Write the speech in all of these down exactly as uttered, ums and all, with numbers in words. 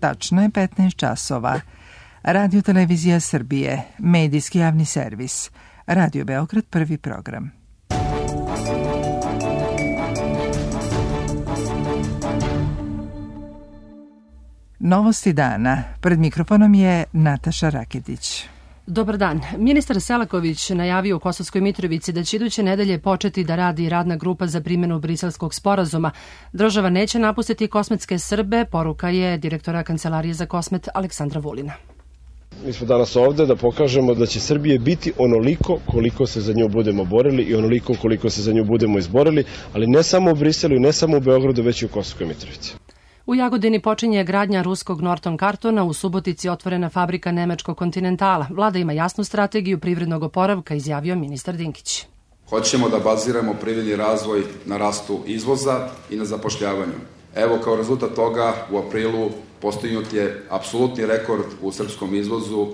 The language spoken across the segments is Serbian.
Tačno je petnaest časova. Radio Televizija Srbije, medijski javni servis. Radio Beograd, prvi program. Novosti dana. Pred mikrofonom je Nataša Raketić. Dobar dan. Ministar Selaković najavio u Kosovskoj Mitrovici da će iduće nedelje početi da radi radna grupa za primjenu Briselskog sporazuma. Država neće napustiti kosmetske Srbe, poruka je direktora Kancelarije za kosmet Aleksandra Vulina. Mi smo danas ovde da pokažemo da će Srbije biti onoliko koliko se za nju budemo borili i onoliko koliko se za nju budemo izborili, ali ne samo u Briselu i ne samo u Beogradu, već i u Kosovskoj Mitrovici. U Jagodini počinje gradnja ruskog Norton kartona, u Subotici otvorena fabrika nemačkog Kontinentala. Vlada ima jasnu strategiju privrednog oporavka, izjavio ministar Dinkić. Hoćemo da baziramo privredni razvoj na rastu izvoza i na zapošljavanju. Evo, kao rezultat toga u aprilu postignut je apsolutni rekord u srpskom izvozu.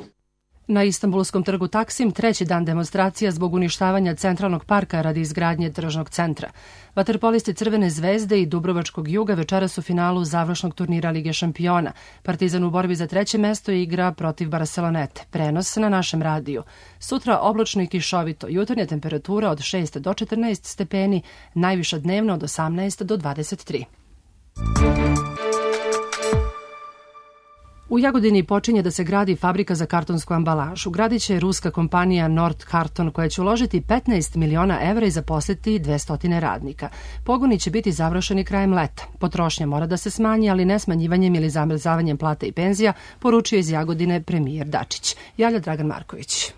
Na Istanbulskom trgu Taksim treći dan demonstracija zbog uništavanja centralnog parka radi izgradnje tržnog centra. Vaterpolisti Crvene zvezde i Dubrovačkog Juga večeras u finalu završnog turnira Lige šampiona. Partizan u borbi za treće mesto igra protiv Barcelonete. Prenos na našem radiju. Sutra oblačno i kišovito, jutarnja temperatura od šest do četrnaest stepeni, najviša dnevno od osamnaest do dvadeset tri. U Jagodini počinje da se gradi fabrika za kartonsku ambalažu. Gradit će ruska kompanija Nord Karton koja će uložiti petnaest miliona evra i zaposliti dvesta radnika. Pogoni će biti završeni krajem leta. Potrošnja mora da se smanji, ali ne smanjivanjem ili zamrzavanjem plata i penzija, poručio iz Jagodine premijer Dačić. Javlja Dragan Marković.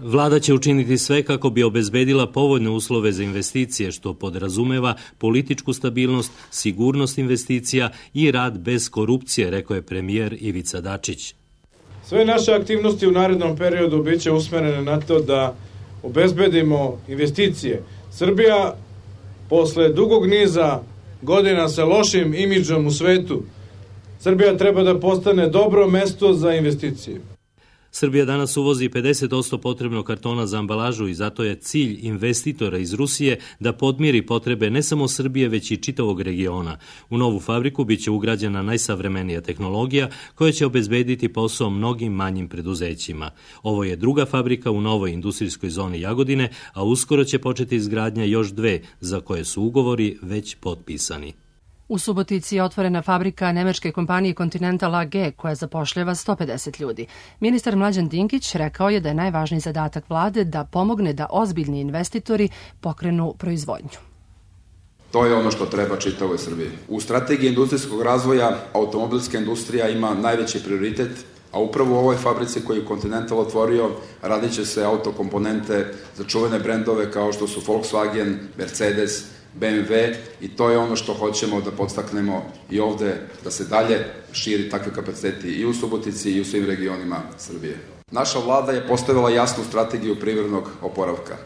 Vlada će učiniti sve kako bi obezbedila povoljne uslove za investicije, što podrazumeva političku stabilnost, sigurnost investicija i rad bez korupcije, rekao je premijer Ivica Dačić. Sve naše aktivnosti u narednom periodu biće usmerene na to da obezbedimo investicije. Srbija, posle dugog niza godina sa lošim imidžom u svetu, Srbija treba da postane dobro mesto za investicije. Srbija danas uvozi pedeset posto potrebnog kartona za ambalažu i zato je cilj investitora iz Rusije da podmiri potrebe ne samo Srbije, već i čitavog regiona. U novu fabriku biće ugrađena najsavremenija tehnologija koja će obezbediti posao mnogim manjim preduzećima. Ovo je druga fabrika u novoj industrijskoj zoni Jagodine, a uskoro će početi izgradnja još dve, za koje su ugovori već potpisani. U Subotici je otvorena fabrika nemačke kompanije Continental A G koja zapošljava sto pedeset ljudi. Ministar Mlađan Dinkić rekao je da je najvažniji zadatak vlade da pomogne da ozbiljni investitori pokrenu proizvodnju. To je ono što treba čitavoj Srbiji. U strategiji industrijskog razvoja automobilska industrija ima najveći prioritet, a upravo u ovoj fabrici koju je Continental otvorio radit će se autokomponente za čuvene brendove kao što su Volkswagen, Mercedes, B M W i to je ono što hoćemo da podstaknemo i ovde, da se dalje širi takve kapaciteti i u Subotici i u svim regionima Srbije. Naša vlada je postavila jasnu strategiju privrednog oporavka.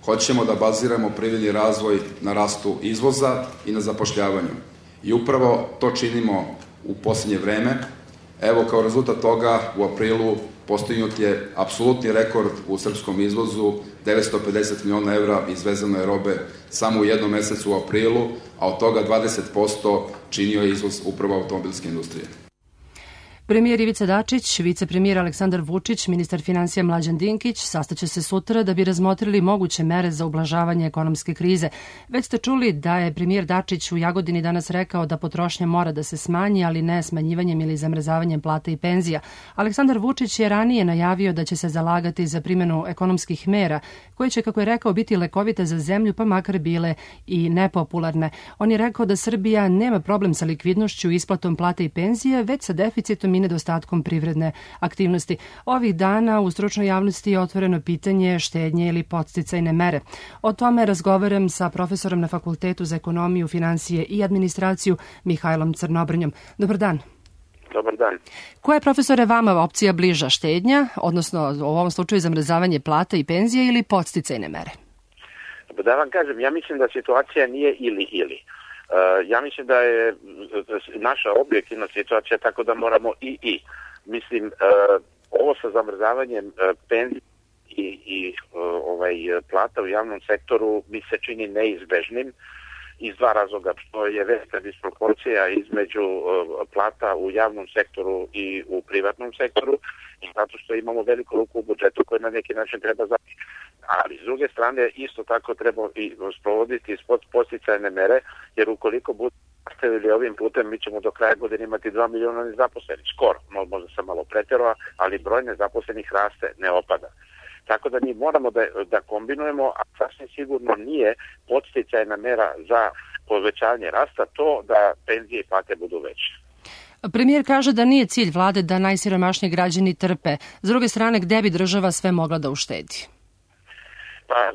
Hoćemo da baziramo privredni razvoj na rastu izvoza i na zapošljavanju. I upravo to činimo u posljednje vreme. Evo, kao rezultat toga u aprilu postignut je apsolutni rekord u srpskom izvozu, devetsto pedeset miliona evra izvezano je robe samo u jednom mesecu u aprilu, a od toga dvadeset posto činio je izvoz upravo automobilske industrije. Premijer Ivica Dačić, vicepremijer Aleksandar Vučić, ministar finansija Mlađan Dinkić sastaće se sutra da bi razmotrili moguće mere za ublažavanje ekonomske krize. Već ste čuli da je premijer Dačić u Jagodini danas rekao da potrošnja mora da se smanji, ali ne smanjivanjem ili zamrzavanjem plata i penzija. Aleksandar Vučić je ranije najavio da će se zalagati za primjenu ekonomskih mera, koje će, kako je rekao, biti lekovite za zemlju, pa makar bile i nepopularne. On je rekao da Srbija nema problem sa likvidnošću i isplatom plata i penzija, već sa deficitom i nedostatkom privredne aktivnosti. Ovih dana u stručnoj javnosti je otvoreno pitanje štednje ili podsticajne mere. O tome razgovaram sa profesorom na Fakultetu za ekonomiju, finansije i administraciju Mihajlom Crnobrnjom. Dobar dan. Dobar dan. Koja je, profesore, vama opcija bliža, štednja, odnosno u ovom slučaju zamrzavanje plata i penzija ili podsticajne mere? Da vam kažem, ja mislim da situacija nije ili-ili. Uh, ja mislim da je naša objektivna situacija tako da moramo i i. Mislim, uh, ovo sa zamrzavanjem uh, penzija i, i uh, ovaj, plata u javnom sektoru mi se čini neizbežnim iz dva razloga, što je velika disproporcija između plata u javnom sektoru i u privatnom sektoru, i zato što imamo veliku ruku u budžetu koji na neki način treba zapiti. Ali s druge strane isto tako treba i sprovoditi podsticajne mere, jer ukoliko budu nastavili ovim putem, mi ćemo do kraja godine imati dva miliona nezaposlenih, skoro, možda sam malo preterao, ali broj nezaposlenih raste, ne opada. Tako da mi moramo da, da kombinujemo, a sasvim sigurno nije podsticajna mera za povećanje rasta to da penzije i plate budu veće. Premijer kaže da nije cilj vlade da najsiromašniji građani trpe. S druge strane, gde bi država sve mogla da uštedi? Pa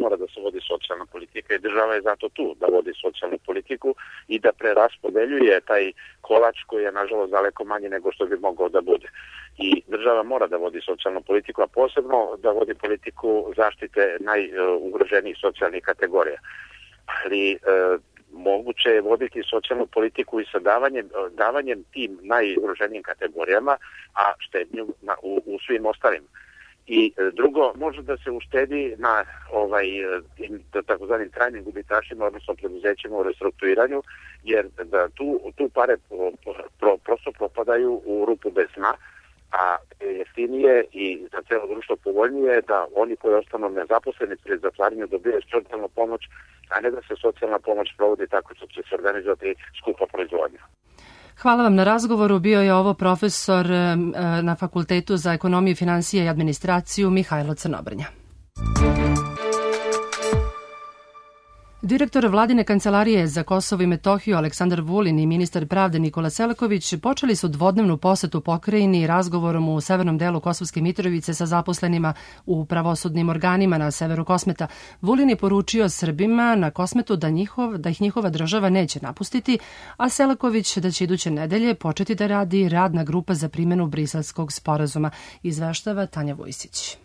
mora da se vodi socijalna politika i država je zato tu da vodi socijalnu politiku i da preraspodeljuje taj kolač koji je nažalost daleko manji nego što bi mogao da bude. I država mora da vodi socijalnu politiku, a posebno da vodi politiku zaštite najugroženijih socijalnih kategorija. Ali e, moguće je voditi socijalnu politiku i sa davanjem, davanjem tim najugroženijim kategorijama, a štednju na, u, u svim ostalim. I drugo, može da se uštedi na ovaj, takozvanim trajnim gubitašima, odnosno preduzećima u restrukturiranju, jer da tu, tu pare pro, pro, prosto propadaju u rupu bez dna, a jeftinije i za celo društvo povoljnije da oni koji ostanu nezaposleni pred zatvaranjem dobijaju socijalnu pomoć, a ne da se socijalna pomoć provodi tako što će se organizovati skupa proizvodnja. Hvala vam na razgovoru. Bio je ovo profesor na Fakultetu za ekonomiju, finansije i administraciju Mihajlo Crnobrnja. Direktor Vladine kancelarije za Kosovo i Metohiju Aleksandar Vulin i ministar pravde Nikola Selaković počeli su dvodnevnu posetu pokrajini razgovorom u severnom delu Kosovske Mitrovice sa zaposlenima u pravosudnim organima na severu Kosmeta. Vulin je poručio Srbima na Kosmetu da, njihov, da ih njihova država neće napustiti, a Selaković da će iduće nedelje početi da radi radna grupa za primjenu Briselskog sporazuma, izveštava Tanja Vojsić.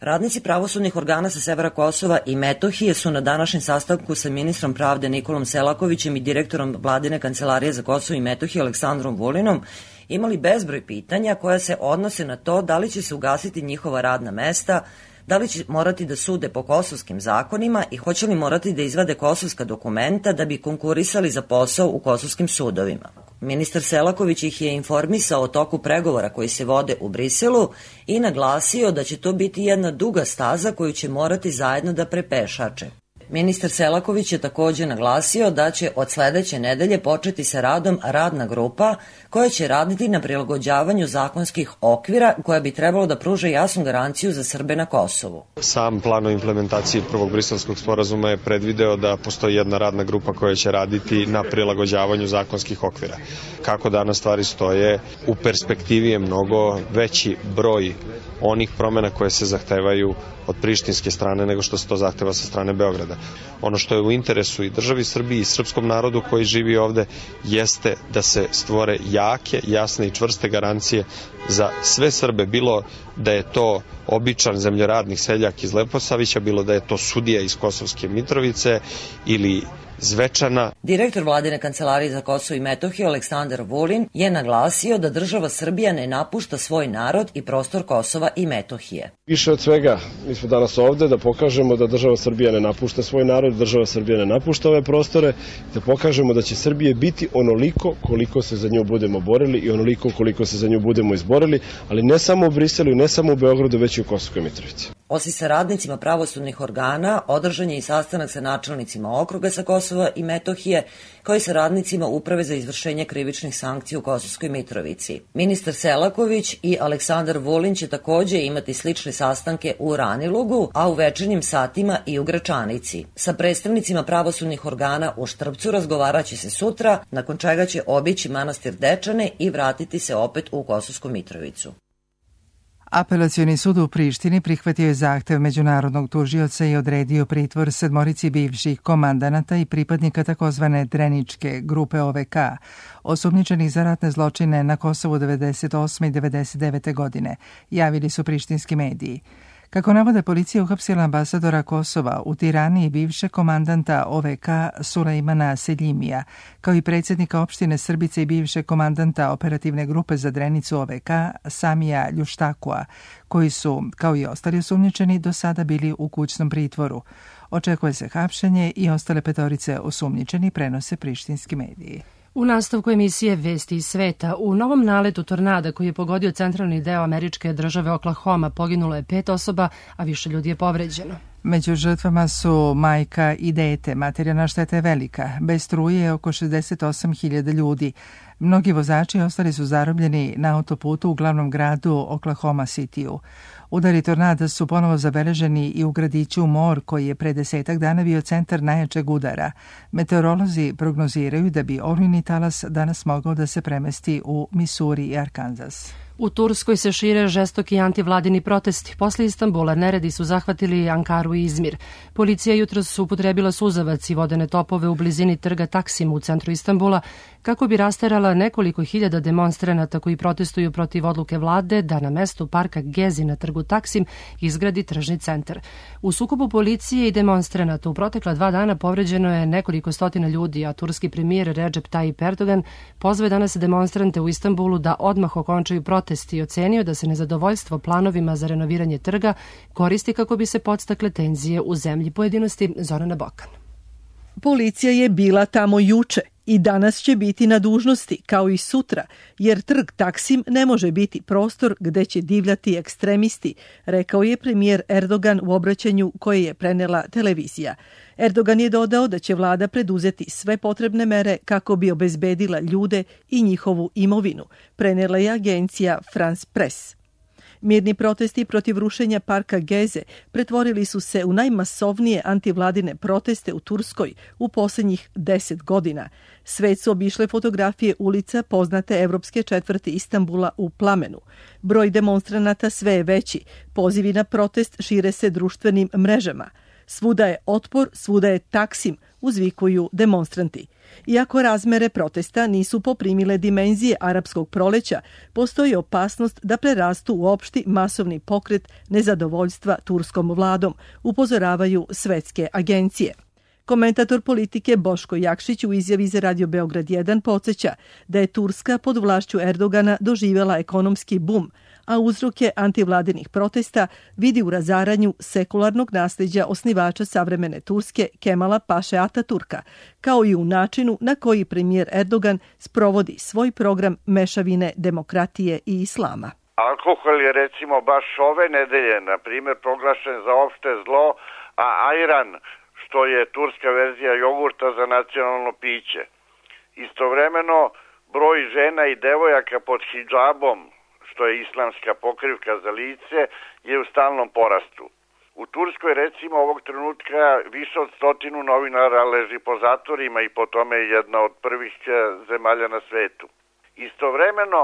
Radnici pravosudnih organa sa severa Kosova i Metohije su na današnjem sastanku sa ministrom pravde Nikolom Selakovićem i direktorom Vladine kancelarije za Kosovo i Metohiju Aleksandrom Vulinom imali bezbroj pitanja koja se odnose na to da li će se ugasiti njihova radna mesta, da li će morati da sude po kosovskim zakonima i hoće li morati da izvade kosovska dokumenta da bi konkurisali za posao u kosovskim sudovima. Ministar Selaković ih je informisao o toku pregovora koji se vode u Briselu i naglasio da će to biti jedna duga staza koju će morati zajedno da prepešače. Ministar Selaković je takođe naglasio da će od sledeće nedelje početi sa radom radna grupa koja će raditi na prilagođavanju zakonskih okvira koja bi trebalo da pruže jasnu garanciju za Srbe na Kosovu. Sam plan o implementaciji prvog briselskog sporazuma je predvideo da postoji jedna radna grupa koja će raditi na prilagođavanju zakonskih okvira. Kako danas stvari stoje, u perspektivi je mnogo veći broj onih promena koje se zahtevaju od prištinske strane nego što se to zahteva sa strane Beograda. Ono što je u interesu i državi Srbiji i srpskom narodu koji živi ovde jeste da se stvore jake, jasne i čvrste garancije za sve Srbe, bilo da je to običan zemljoradnik seljak iz Leposavića, bilo da je to sudija iz Kosovske Mitrovice ili Zvečana. Direktor Vladine kancelarije za Kosovo i Metohiju Aleksandar Vulin je naglasio da država Srbija ne napušta svoj narod i prostor Kosova i Metohije. Više od svega, mi smo danas ovde da pokažemo da država Srbija ne napušta svoj narod, država Srbija ne napušta ove prostore, da pokažemo da će Srbije biti onoliko koliko se za nju budemo borili i onoliko koliko se za nju budemo izborili, ali ne samo u Briselu i ne samo u Beogradu, već i u Kosovskoj Mitrovici. Osim sa radnicima pravosudnih organa, održan je i sastanak sa načelnicima okruga sa Kosova i Metohije, kao i sa radnicima Uprave za izvršenje krivičnih sankcija u Kosovskoj Mitrovici. Ministar Selaković i Aleksandar Vulin će takođe imati slične sastanke u Ranilugu, a u večernjim satima i u Gračanici. Sa predstavnicima pravosudnih organa u Štrpcu razgovaraće se sutra, nakon čega će obići manastir Dečane i vratiti se opet u Kosovsku Mitrovicu. Apelacioni sud u Prištini prihvatio je zahtev međunarodnog tužioca i odredio pritvor sedmorici bivših komandanata i pripadnika takozvane Dreničke grupe O V K, osumnjičenih za ratne zločine na Kosovu devedeset osme i devedeset devete godine, javili su prištinski mediji. Kako navode, policija uhapsila ambasadora Kosova u Tirani i bivšeg komandanta O V K Sulejmana Seljimija, kao i predsjednika opštine Srbice i bivšeg komandanta operativne grupe za Drenicu O V K Samija Ljuštakua, koji su, kao i ostali osumnjičeni, do sada bili u kućnom pritvoru. Očekuje se hapšenje i ostale petorice osumnjičeni, prenose prištinski mediji. U nastavku emisije Vesti iz sveta, u novom naletu tornada koji je pogodio centralni deo američke države Oklahoma poginulo je pet osoba, a više ljudi je povređeno. Među žrtvama su majka i dete. Materijalna šteta je velika. Bez struje je oko šezdeset osam hiljada ljudi. Mnogi vozači ostali su zarobljeni na autoputu u glavnom gradu Oklahoma Cityu. Udari tornada su ponovo zabeleženi i u gradiću Moore, koji je pre desetak dana bio centar najjačeg udara. Meteorolozi prognoziraju da bi olujni talas danas mogao da se premesti u Missouri i Arkansas. U Turskoj se šire žestoki antivladini protesti. Posle Istanbula neredi su zahvatili Ankaru i Izmir. Policija jutros upotrebila suzavac i vodene topove u blizini trga Taksim u centru Istanbula kako bi rasterala nekoliko hiljada demonstranata koji protestuju protiv odluke vlade da na mestu parka Gezi na trgu Taksim izgradi tržni centar. U sukobu policije i demonstranata u protekla dva dana povređeno je nekoliko stotina ljudi, a turski premijer Recep Tayyip Erdogan pozvao danas demonstrante u Istanbulu da odmah okončaju protest i ocenio da se nezadovoljstvo planovima za renoviranje trga koristi kako bi se podstakle tenzije u zemlji. Pojedinosti Zorana Bokan. Policija je bila tamo juče i danas će biti na dužnosti, kao i sutra, jer trg Taksim ne može biti prostor gde će divljati ekstremisti, rekao je premijer Erdogan u obraćanju koje je prenela televizija. Erdogan je dodao da će vlada preduzeti sve potrebne mere kako bi obezbedila ljude i njihovu imovinu, prenela je agencija France Press. Mirni protesti protiv rušenja parka Geze pretvorili su se u najmasovnije antivladine proteste u Turskoj u posljednjih deset godina. Svet su obišle fotografije ulica poznate evropske četvrti Istanbula u plamenu. Broj demonstranata sve je veći. Pozivi na protest šire se društvenim mrežama. Svuda je otpor, svuda je Taksim, uzvikuju demonstranti. Iako razmere protesta nisu poprimile dimenzije arapskog proleća, postoji opasnost da prerastu u opšti masovni pokret nezadovoljstva turskom vladom, upozoravaju svetske agencije. Komentator politike Boško Jakšić u izjavi za Radio Beograd jedan podsjeća da je Turska pod vlašću Erdogana doživjela ekonomski bum, a uzroke antivladinih protesta vidi u razaranju sekularnog nasljeđa osnivača savremene Turske Kemala Paše Ataturka, kao i u načinu na koji premijer Erdogan sprovodi svoj program mešavine demokratije i islama. Alkohol je recimo baš ove nedelje, na primjer, proglašen za opšte zlo, a ajran, što je turska verzija jogurta, za nacionalno piće. Istovremeno, broj žena i devojaka pod hidžabom, što je islamska pokrivka za lice, je u stalnom porastu. U Turskoj, recimo, ovog trenutka više od stotinu novinara leži po zatvorima i po tome je jedna od prvih zemalja na svetu. Istovremeno,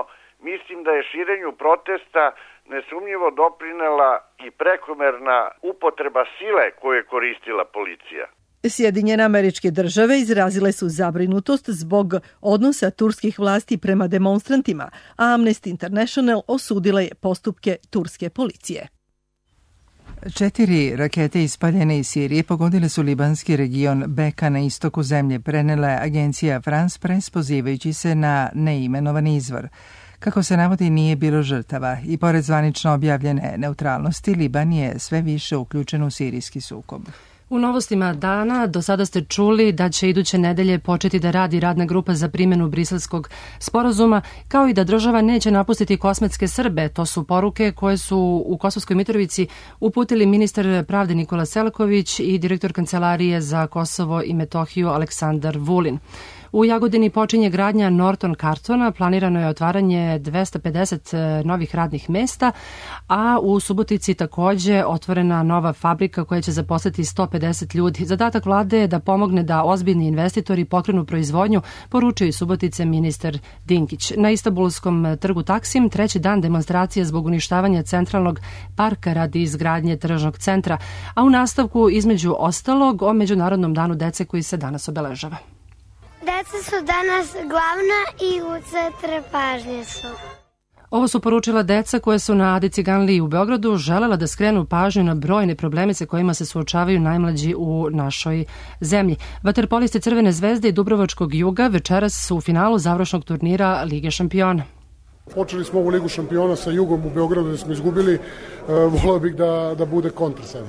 mislim da je širenju protesta nesumnjivo doprinela i prekomerna upotreba sile koju je koristila policija. Sjedinjene Američke Države izrazile su zabrinutost zbog odnosa turskih vlasti prema demonstrantima, a Amnesty International osudila je postupke turske policije. Četiri rakete ispaljene iz Sirije pogodile su libanski region Beka na istoku zemlje, prenela je agencija France Press pozivajući se na neimenovani izvor. Kako se navodi, nije bilo žrtava i pored zvanično objavljene neutralnosti, Liban je sve više uključen u sirijski sukob. U novostima dana do sada ste čuli da će iduće nedelje početi da radi radna grupa za primjenu briselskog sporazuma, kao i da država neće napustiti kosmetske Srbe. To su poruke koje su u Kosovskoj Mitrovici uputili ministar pravde Nikola Selaković i direktor Kancelarije za Kosovo i Metohiju Aleksandar Vulin. U Jagodini počinje gradnja Norton kartona, planirano je otvaranje dvesta pedeset novih radnih mesta, a u Subotici takođe otvorena nova fabrika koja će zaposliti sto pedeset ljudi. Zadatak vlade je da pomogne da ozbiljni investitori pokrenu proizvodnju, poručio i Subotice ministar Dinkić. Na Istanbulskom trgu Taksim treći dan demonstracije zbog uništavanja centralnog parka radi izgradnje tržnog centra, a u nastavku između ostalog o Međunarodnom danu dece koji se danas obeležava. Deca su danas glavna i u centru pažnje su. Ovo su poručila deca koje su na Adi Ciganliji u Beogradu želela da skrenu pažnju na brojne probleme sa kojima se suočavaju najmlađi u našoj zemlji. Vaterpolisti Crvene zvezde i Dubrovačkog Juga večeras su u finalu završnog turnira Lige šampiona. Počeli smo ovu Ligu šampiona sa Jugom u Beogradu da smo izgubili. Voleo bih da, da bude kontra sada.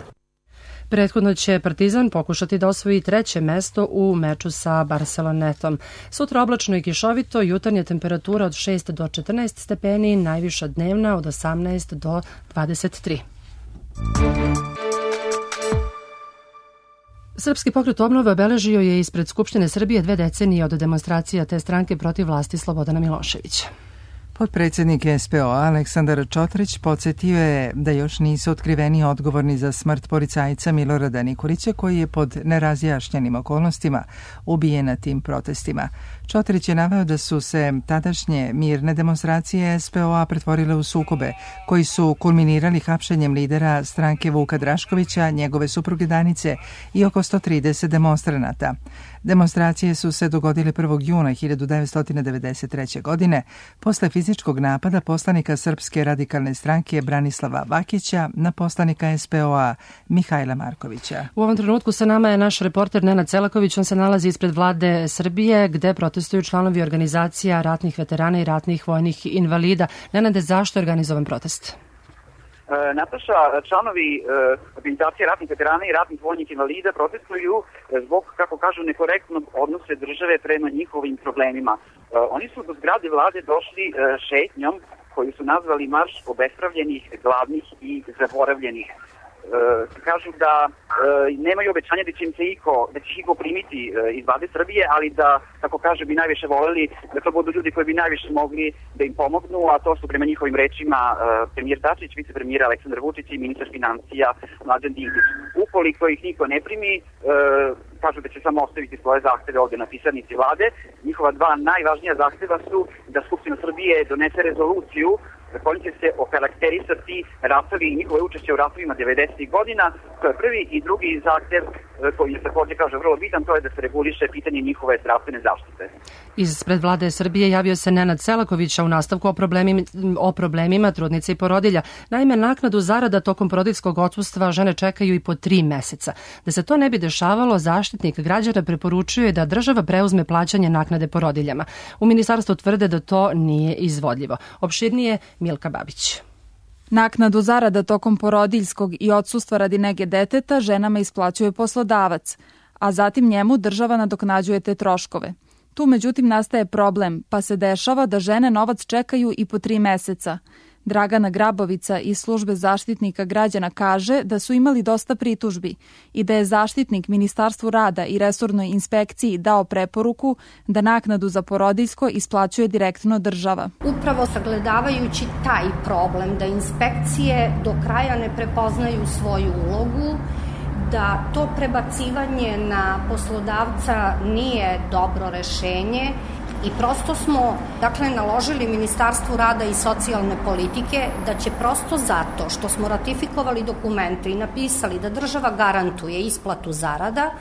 Prethodno će Partizan pokušati da osvoji treće mesto u meču sa Barcelonetom. Sutra oblačno i kišovito, jutarnja temperatura od šest do četrnaest stepeni, najviša dnevna od osamnaest do dvadeset tri. Srpski pokret obnove obeležio je ispred Skupštine Srbije dve decenije od demonstracija te stranke protiv vlasti Slobodana Miloševića. Potpredsjednik S P O-a Aleksandar Čotrić podsjetio je da još nisu otkriveni odgovorni za smrt policajca Milorada Nikolića koji je pod nerazjašnjenim okolnostima ubijen na tim protestima. Čotrić je naveo da su se tadašnje mirne demonstracije S P O-a pretvorile u sukobe koji su kulminirali hapšenjem lidera stranke Vuka Draškovića, njegove supruge Danice i oko sto trideset demonstranata. Demonstracije su se dogodile prvog juna hiljadu devetsto devedeset treće. godine posle fizičkog napada poslanika Srpske radikalne stranke Branislava Vakića na poslanika S P O-a Mihajla Markovića. U ovom trenutku sa nama je naš reporter Nenad Selaković. On se nalazi ispred vlade Srbije gde protestuju članovi organizacija ratnih veterana i ratnih vojnih invalida. Nenade, zašto je organizovan protest? Nataša, članovi organizacije ratnih veterana i ratnih vojnih invalida protestuju zbog, kako kažu, nekorektnog odnose države prema njihovim problemima. Oni su do zgrade vlade došli šetnjom koju su nazvali marš obespravljenih, gladnih i zaboravljenih. Kažu da nemaju obećanja da će im se iko, da će iko primiti iz vlade Srbije, ali da, kako kaže, bi najviše voleli da to budu ljudi koji bi najviše mogli da im pomognu, a to su prema njihovim rečima premijer Dačić, vicepremijer Aleksandar Vučić i ministar financija Mlađan Dinkić. Ukoliko ih niko ne primi, kažu da će samo ostaviti svoje zahteve ovde na pisarnici vlade. Njihova dva najvažnija zahteva su da Skupština Srbije donese rezoluciju kojim će se okarakterisati ratovi i njihove učešće u ratovima devedesetih godina. To je prvi, i drugi zahtev koji je također, kaže, vrlo bitan, to je da se reguliše pitanje njihove zdravstvene zaštite. Ispred vlade Srbije javio se Nenad Selaković u nastavku o problemima, o problemima trudnica i porodilja. Naime, naknadu zarada tokom porodiljskog odsustva žene čekaju i po tri meseca. Da se to ne bi dešavalo, Zaštitnik građana preporučuje da država preuzme plaćanje naknade porodiljama. U ministarstvu tvrde da to nije izvodljivo. Opširnije Milka Babić. Naknadu zarada tokom porodiljskog i odsustva radi nege deteta ženama isplaćuje poslodavac, a zatim njemu država nadoknađuje te troškove. Tu međutim nastaje problem, pa se dešava da žene novac čekaju i po tri meseca. Dragana Grabovica iz službe Zaštitnika građana kaže da su imali dosta pritužbi i da je Zaštitnik Ministarstvu rada i resornoj inspekciji dao preporuku da naknadu za porodiljsko isplaćuje direktno država. Upravo sagledavajući taj problem da inspekcije do kraja ne prepoznaju svoju ulogu, da to prebacivanje na poslodavca nije dobro rešenje i prosto smo, dakle, naložili Ministarstvu rada i socijalne politike da će prosto zato što smo ratifikovali dokumente i napisali da država garantuje isplatu zarada,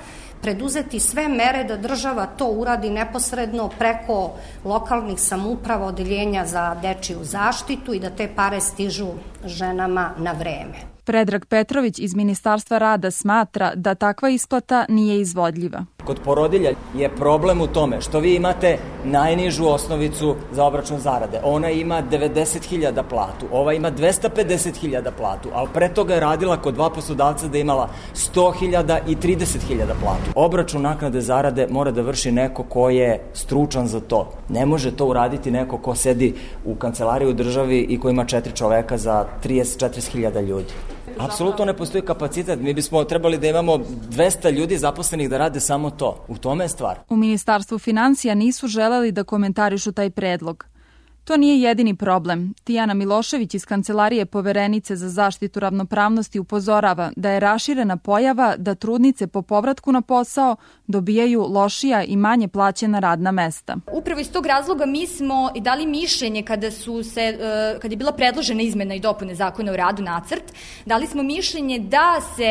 preduzeti sve mere da država to uradi neposredno preko lokalnih samouprava, odeljenja za dečiju zaštitu i da te pare stižu ženama na vreme. Predrag Petrović iz Ministarstva rada smatra da takva isplata nije izvodljiva. Kod porodilja je problem u tome što vi imate najnižu osnovicu za obračun zarade. Ona ima devedeset hiljada platu, ova ima dvesta pedeset hiljada platu, ali pre toga je radila kod dva poslodavca da je imala sto hiljada i trideset hiljada platu. Obračun naknade zarade mora da vrši neko ko je stručan za to. Ne može to uraditi neko ko sedi u kancelariji u državi i ko ima četiri čoveka za trideset do četrdeset hiljada ljudi. Apsolutno ne postoji kapacitet. Mi bismo trebali da imamo dvesta ljudi zaposlenih da rade samo to. U tome je stvar. U Ministarstvu financija nisu želeli da komentarišu taj predlog. To nije jedini problem. Tijana Milošević iz Kancelarije poverenice za zaštitu ravnopravnosti upozorava da je raširena pojava da trudnice po povratku na posao dobijaju lošija i manje plaćena radna mesta. Upravo iz tog razloga mi smo i dali mišljenje kada su se kada je bila predložena izmena i dopune Zakona o radu nacrt, dali smo mišljenje da se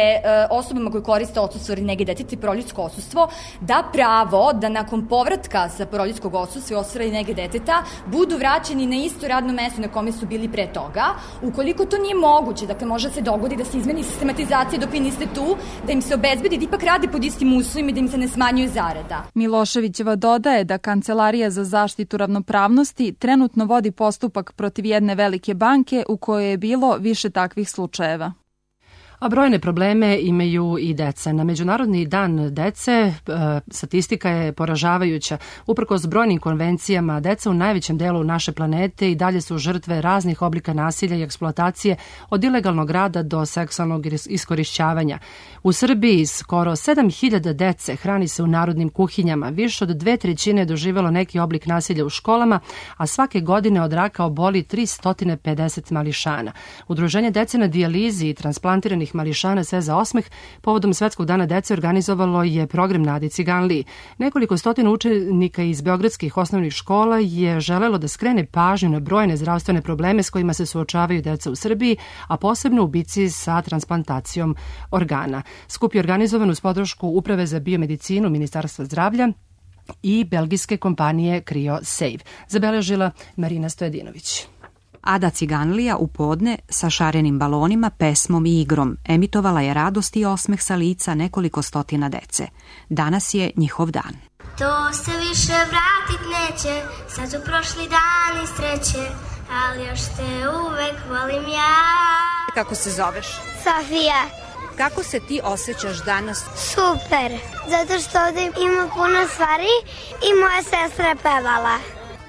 osobama koje koriste odsustvo radi nege deteta i porodiljsko odsustvo da pravo da nakon povratka sa porodiljskog odsustva i odsustva radi nege deteta budu vraćeni na isto radno mesto na kome su bili pre toga. Ukoliko to nije moguće, dakle može se dogodi da se izmeni sistematizacija dok vi niste tu, da im se obezbedi da ipak rade pod istim uslovima i da im se ne smanjuje zarada. Miloševićeva dodaje da Kancelarija za zaštitu ravnopravnosti trenutno vodi postupak protiv jedne velike banke u kojoj je bilo više takvih slučajeva. A brojne probleme imaju i deca. Na Međunarodni dan dece statistika je poražavajuća. Uprkos brojnim konvencijama, deca u najvećem delu naše planete i dalje su žrtve raznih oblika nasilja i eksploatacije, od ilegalnog rada do seksualnog iskorišćavanja. U Srbiji skoro sedam hiljada dece hrani se u narodnim kuhinjama. Više od dve trećine je doživjelo neki oblik nasilja u školama, a svake godine od raka oboli tristo pedeset mališana. Udruženje dece na dijalizi i transplantiranih mališana Sve za osmeh povodom Svetskog dana dece organizovalo je program na Adi Ciganliji. Nekoliko stotina učenika iz beogradskih osnovnih škola je želelo da skrene pažnju na brojne zdravstvene probleme s kojima se suočavaju deca u Srbiji, a posebno u bici sa transplantacijom organa. Skup je organizovan uz podršku Uprave za biomedicinu Ministarstva zdravlja i belgijske kompanije CryoSave. Zabeležila Marina Stojedinović. Ada Ciganlija u podne sa šarenim balonima, pesmom i igrom emitovala je radost i osmeh sa lica nekoliko stotina dece. Danas je njihov dan. To se više vratit neće, sad su prošli dani sreće, ali još te uvek volim ja. Kako se zoveš? Sofija. Kako se ti osjećaš danas? Super, zato što ovdje ima puno stvari i moja sestra je pevala.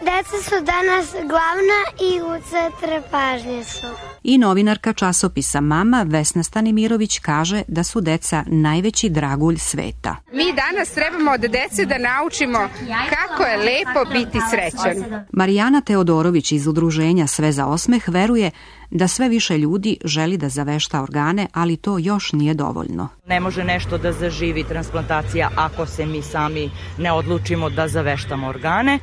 Deca su danas glavna i u centru pažnje su. I novinarka časopisa Mama Vesna Stanimirović kaže da su deca najveći dragulj sveta. Mi danas trebamo od dece da naučimo kako je lepo biti srećan. Marijana Teodorović iz udruženja Sve za osmeh veruje da sve više ljudi želi da zavešta organe, ali to još nije dovoljno. Ne može nešto da zaživi transplantacija ako se mi sami ne odlučimo da zaveštamo organe.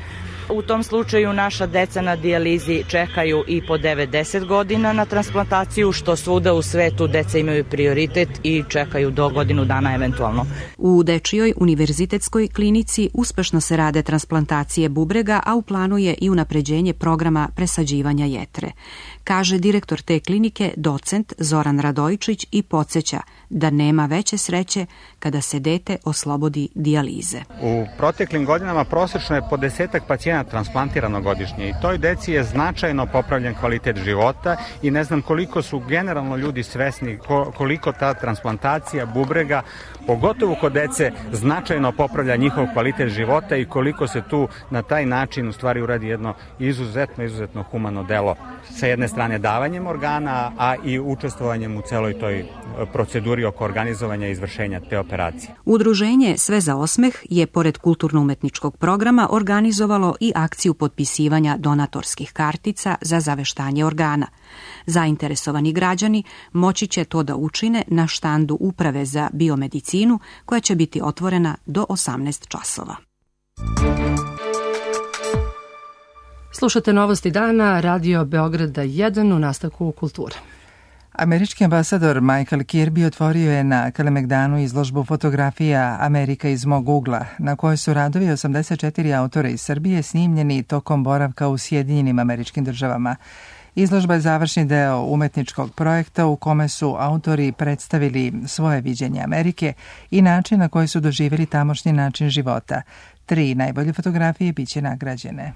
U tom slučaju naša deca na dijalizi čekaju i po devedeset godina na transplantaciju, što svuda u svetu deca imaju prioritet i čekaju do godinu dana eventualno. U Dečijoj univerzitetskoj klinici uspešno se rade transplantacije bubrega, a u planu je i unapređenje programa presađivanja jetre. Kaže direktor te klinike, docent Zoran Radojičić, i podsjeća da nema veće sreće kada se dete oslobodi dijalize. U proteklim godinama prosečno je po desetak pacijenata transplantirano godišnje i toj deci je značajno popravljen kvalitet života i ne znam koliko su generalno ljudi svesni koliko ta transplantacija bubrega, pogotovo kod dece, značajno popravlja njihov kvalitet života i koliko se tu na taj način u stvari uradi jedno izuzetno, izuzetno humano delo. Sa jedne strane davanjem organa, a i učestvovanjem u celoj toj proceduri oko organizovanja i izvršenja te operacije. Udruženje Sve za osmeh je, pored kulturno-umetničkog programa, organizovalo i akciju potpisivanja donatorskih kartica za zaveštanje organa. Zainteresovani građani moći će to da učine na štandu Uprave za biomedicinu, koja će biti otvorena do osamnaest časova. Slušate Novosti dana, Radio Beograda jedan, u nastavku kulture. Američki ambasador Michael Kirby otvorio je na Kalemegdanu izložbu fotografija Amerika iz mog ugla, na kojoj su radovi osamdeset četiri autora iz Srbije snimljeni tokom boravka u Sjedinjenim Američkim Državama. Izložba je završni deo umetničkog projekta u kome su autori predstavili svoje viđenje Amerike i način na koji su doživjeli tamošnji način života. Tri najbolje fotografije biće nagrađene.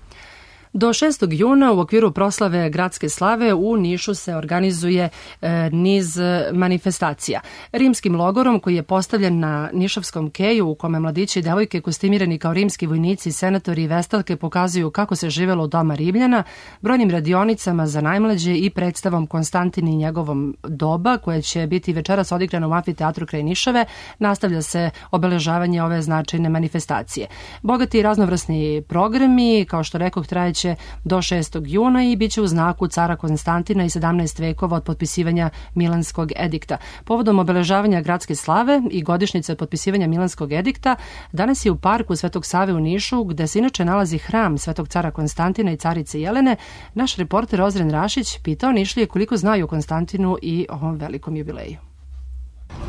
Do šestog juna u okviru proslave Gradske slave u Nišu se organizuje e, niz manifestacija. Rimskim logorom koji je postavljen na Nišavskom keju, u kome mladići i devojke kostimirani kao rimski vojnici, senatori i vestalke pokazuju kako se živelo u doma Rimljana, brojnim radionicama za najmlađe i predstavom Konstantini i njegovom doba, koje će biti večeras odigrano u amfiteatru kraj Nišave, nastavlja se obeležavanje ove značajne manifestacije. Bogati i raznovrsni programi, kao što rekoh, trajeće do šestog juna i bit će u znaku cara Konstantina i sedamnaest vekova od potpisivanja Milanskog edikta. Povodom obeležavanja Gradske slave i godišnjice od potpisivanja Milanskog edikta, danas je u parku Svetog Save u Nišu, gde se inače nalazi hram Svetog cara Konstantina i carice Jelene, naš reporter Ozren Rašić pitao Nišlije koliko znaju o Konstantinu i ovom velikom jubileju.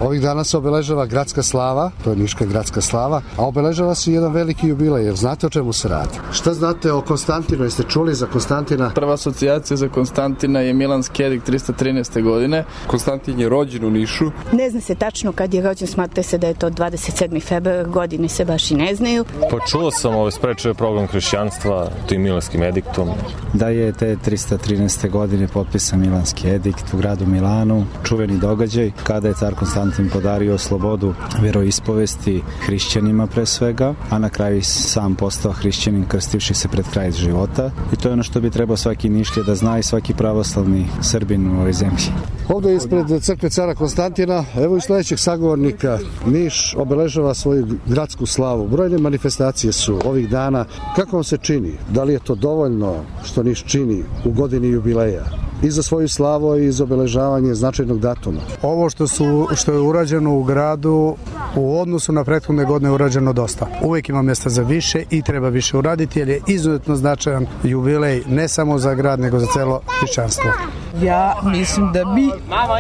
Ovih dana se obeležava gradska slava, to je Niška gradska slava, a obeležava se jedan veliki jubilej, jer znate o čemu se radi. Šta znate o Konstantinu, jeste čuli za Konstantina? Prva asocijacija za Konstantina je Milan Skedik tristo trinaeste. godine. Konstantin je rođen u Nišu. Ne zna se tačno kad je rođen, smatra se da je to dvadeset sedmi februar, godine se baš i ne znaju. Pa čuo sam, ovo sprečio program hrišćanstva tim Milanskim ediktom. Da je te tristo trinaeste. godine potpisan Milanski edikt u gradu Milanu, čuveni događaj kada je car Konstantin podario slobodu veroispovesti hrišćanima pre svega, a na kraju sam postao hrišćanin krstivši se pred kraj života. I to je ono što bi trebao svaki Nišlije da zna i svaki pravoslavni Srbin u ovoj zemlji. Ovde ispred crkve cara Konstantina, evo i sledećeg sagovornika, Niš obeležava svoju gradsku slavu. Brojne manifestacije su ovih dana. Kako vam se čini? Da li je to dovoljno što Niš čini u godini jubileja? I za svoju slavu i za obeležavanje značajnog datuma. Ovo što su što je urađeno u gradu u odnosu na prethodne godine je urađeno dosta. Uvijek ima mjesta za više i treba više uraditi jer je izuzetno značajan jubilej ne samo za grad nego za celo hrišćanstvo. Ja mislim da bi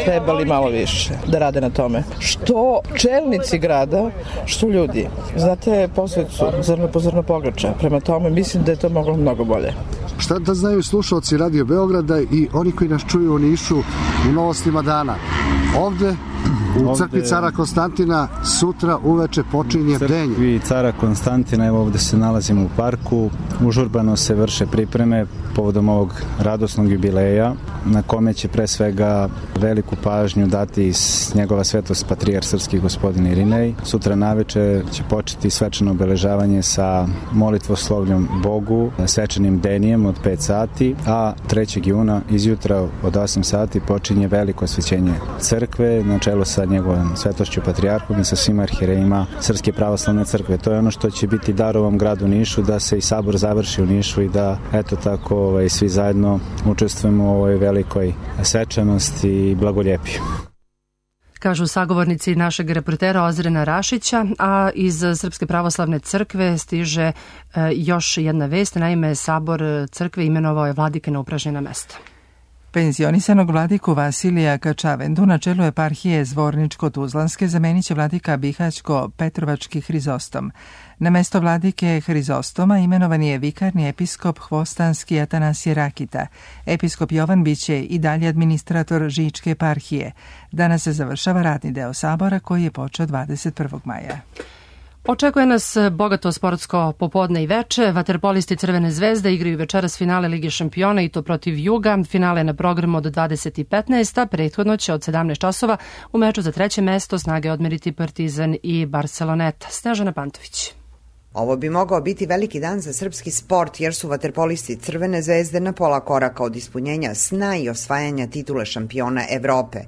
trebali malo više da rade na tome. Što čelnici grada, što ljudi. Znate posveću zrno po zrno pogača. Prema tome mislim da je to moglo mnogo bolje. Šta da znaju slušalci Radio Beograda i oni koji nas čuju u Nišu u novostima dana? Ovde u crkvi cara Konstantina sutra uveče počinje bdenje. U crkvi cara Konstantina, evo ovde se nalazimo u parku, užurbano se vrše pripreme povodom ovog radosnog jubileja, na kome će pre svega veliku pažnju dati njegova svetost patrijarh srpski gospodin Irinej. Sutra naveče će početi svečano obeležavanje sa molitvoslovljom Bogu, svečanim bdenijem od pet sati, a trećeg juna izjutra od osam sati počinje veliko osvećenje crkve na čelu sa njegovom svetošću patrijarhom i sa svim arhirejima Srpske pravoslavne crkve. To je ono što će biti dar ovom gradu Nišu, da se i sabor završi u Nišu i da eto tako ovaj, svi zajedno učestvujemo u ovoj velikoj svečanosti i blagoljepju. Kažu sagovornici našeg reportera Ozrena Rašića, a iz Srpske pravoslavne crkve stiže e, još jedna vest. Naime, sabor crkve imenovao je vladike na upražnjena mesta. Penzionisanog vladiku Vasilija Kačavendu na čelu eparhije Zvorničko-Tuzlanske zamenit će vladika Bihaćko-Petrovački Hrizostom. Na mesto vladike Hrizostoma imenovan je vikarni episkop Hvostanski Atanasije Rakita. Episkop Jovan biće i dalje administrator Žičke eparhije. Danas se završava radni deo sabora koji je počeo dvadeset prvog maja. Očekuje nas bogato sportsko popodne i veče. Vaterpolisti Crvene zvezde igraju večeras finale Lige šampiona i to protiv Juga. Finale je na programu od dvadeset i petnaest, a prethodno će od sedamnaest časova u meču za treće mesto snage odmeriti Partizan i Barceloneta. Snežana Pantović. Ovo bi mogao biti veliki dan za srpski sport jer su vaterpolisti Crvene zvezde na pola koraka od ispunjenja sna i osvajanja titule šampiona Evrope.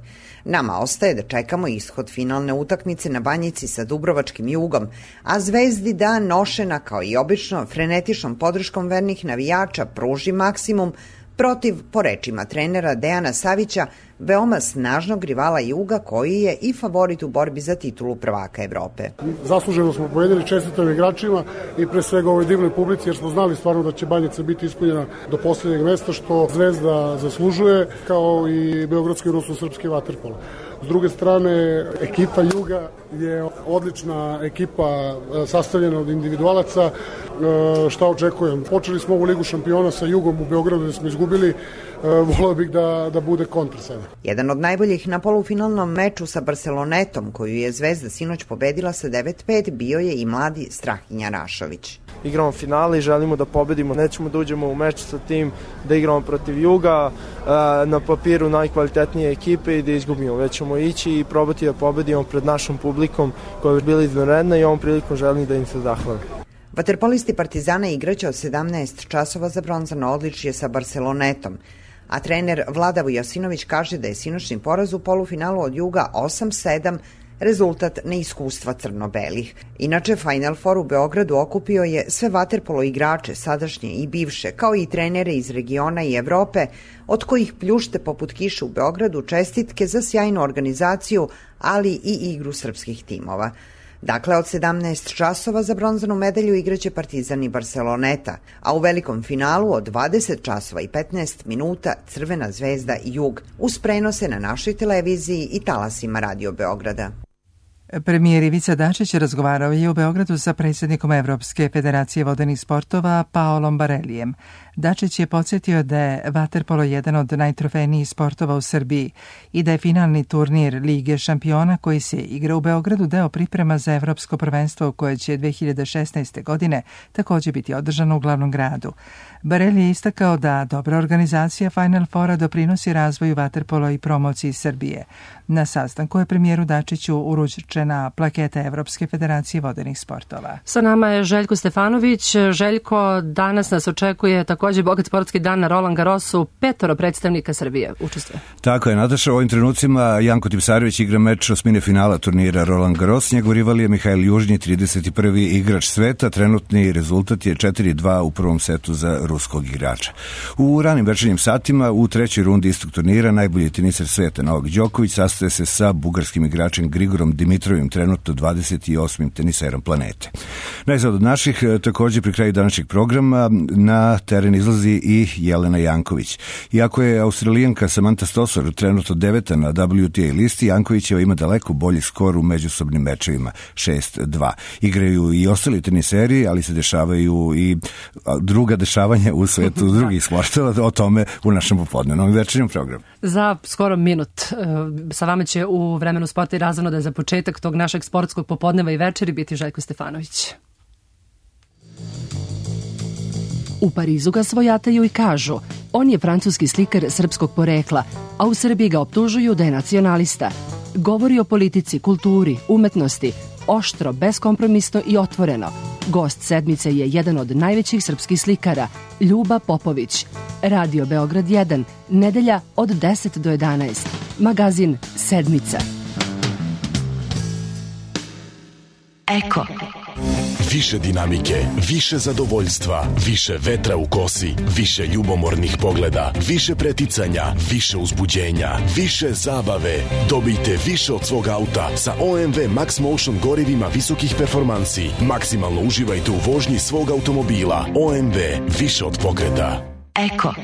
Nama ostaje da čekamo ishod finalne utakmice na Banjici sa Dubrovačkim Jugom, a Zvezdi da nošena kao i obično frenetičnom podrškom vernih navijača pruži maksimum protiv, po rečima trenera Dejana Savića, veoma snažnog rivala Juga koji je i favorit u borbi za titulu prvaka Evrope. Zasluženo smo pobedili, čestitam igračima i pre svega ovoj divnoj publici jer smo znali stvarno da će Banjica biti ispunjena do posljednjeg mesta što Zvezda zaslužuje kao i Beogradski rusko-srpski vaterpolo. S druge strane, ekipa Juga je odlična ekipa sastavljena od individualaca. Šta očekujem? Počeli smo ovu Ligu šampiona sa Jugom u Beogradu gde smo izgubili. Voleo bih da, da bude kontra sada. Jedan od najboljih na polufinalnom meču sa Barcelonetom, koju je Zvezda sinoć pobedila sa devet pet, bio je i mladi Strahinja Rašović. Igramo finale i želimo da pobedimo. Nećemo da uđemo u meč sa tim da igramo protiv Juga, na papiru najkvalitetnije ekipe i da izgubimo. Već ćemo ići i probati da pobedimo pred našom publikom koja je bila izvanredna i ovom prilikom želim da im se zahvalim. Vaterpolisti Partizana igraće od sedamnaest časova za bronzano odličje sa Barcelonetom, a trener Vlada Vujasinović kaže da je sinoćni poraz u polufinalu od Juga osam sedam rezultat neiskustva crno-belih. Inače, Final Four u Beogradu okupio je sve vaterpolo igrače, sadašnje i bivše, kao i trenere iz regiona i Evrope, od kojih pljušte poput kiše u Beogradu čestitke za sjajnu organizaciju, ali i igru srpskih timova. Dakle, od sedamnaest časova za bronzanu medalju igraće Partizan i Barceloneta, a u velikom finalu od dvadeset časova i petnaest minuta Crvena zvezda i Jug, uz prenose na našoj televiziji i talasima Radio Beograda. Premijer Ivica Dačić razgovarao je u Beogradu sa predsjednikom Evropske federacije vodenih sportova Paolom Barelijem. Dačić je podsjetio da je vaterpolo jedan od najtrofejnijih sportova u Srbiji i da je finalni turnir Lige šampiona koji se igra u Beogradu deo priprema za evropsko prvenstvo koje će dve hiljade šesnaeste. godine također biti održano u glavnom gradu. Barelji je istakao da dobra organizacija Final Fora doprinosi razvoju vaterpola i promociji Srbije. Na sastanku je premijeru Dačiću uručena plaketa Evropske federacije vodenih sportova. Sa nama je Željko Stefanović. Željko, danas nas očekuje također bogat sportski dan na Roland Garrosu. Petoro predstavnika Srbije učestvuje. Tako je, Nataša. U ovim trenucima Janko Tipsarević igra meč osmine finala turnira Roland Garros. Njegov rival je Mihajl Južnji, trideset prvi igrač sveta. Trenutni rezultat je četiri dva u prvom setu za ruskog igrača. U ranim večernjim satima u trećoj rundi istog turnira najbolji teniser sveta Novak Đoković sastaje se sa bugarskim igračem Grigorom Dimitrovim, trenutno dvadeset osmim teniserom planete. Najzad od naših, također pri kraju današnjeg programa, na teren izlazi i Jelena Janković. Iako je Australijanka Samantha Stosur trenutno deveta na W T A listi, Jankovićeva ima daleko bolji skor u međusobnim mečevima, šest dva. Igraju i ostali teniseri, ali se dešavaju i druga dešavanja u svetu drugih sportova, o tome u našem popodnevnom večernjem programu. Za skoro minut sa vama će u vremenu sporta i razvano da je za početak tog našeg sportskog popodneva i večeri biti Željko Stefanović. U Parizu ga svojataju i kažu, on je francuski slikar srpskog porekla, a u Srbiji ga optužuju da je nacionalista. Govori o politici, kulturi, umetnosti, oštro, beskompromisno i otvoreno. Gost sedmice je jedan od najvećih srpskih slikara, Ljuba Popović. Radio Beograd jedan, nedelja od deset do jedanaest. Magazin Sedmica. Eko. Više dinamike, više zadovoljstva, više vetra u kosi, više ljubomornih pogleda, više preticanja, više uzbuđenja, više zabave. Dobijte više od svog auta sa O M V Max Motion gorivima visokih performansi. Maksimalno uživajte u vožnji svog automobila. O M V, više od pokreta. Eko.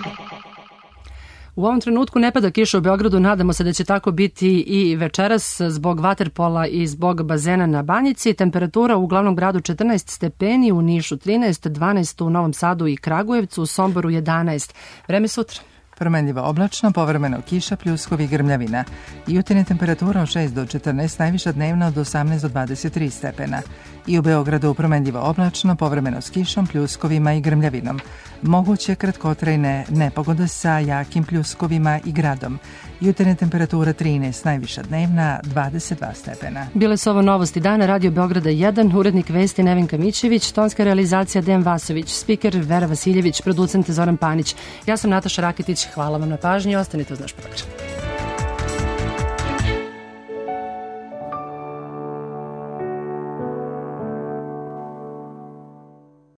U ovom trenutku ne pada kiša u Beogradu, nadamo se da će tako biti i večeras zbog vaterpola i zbog bazena na Banjici. Temperatura u glavnom gradu četrnaest stepeni, u Nišu trinaest, dvanaest u Novom Sadu i Kragujevcu, u Somboru jedanaest. Vreme sutra. Promenljivo oblačno, povremeno kiša, pljuskovi i grmljavina. Jutarnja temperatura od šest do četrnaest, najviša dnevna od osamnaest do dvadeset tri stepena. I u Beogradu promenljivo oblačno, povremeno s kišom, pljuskovima i grmljavinom. Moguće kratkotrajne nepogode sa jakim pljuskovima i gradom. Jutarnja temperatura trinaest, najviša dnevna dvadeset dva stepena. Bile su ovo novosti dana, Radio Beograda jedan, urednik vesti Nevenka Mićević, tonska realizacija Dejan Vasović, spiker Vera Vasiljević, producent Zoran Panić. Ja sam Nataša Rakitić, hvala vam na pažnji i ostanite uz naš program.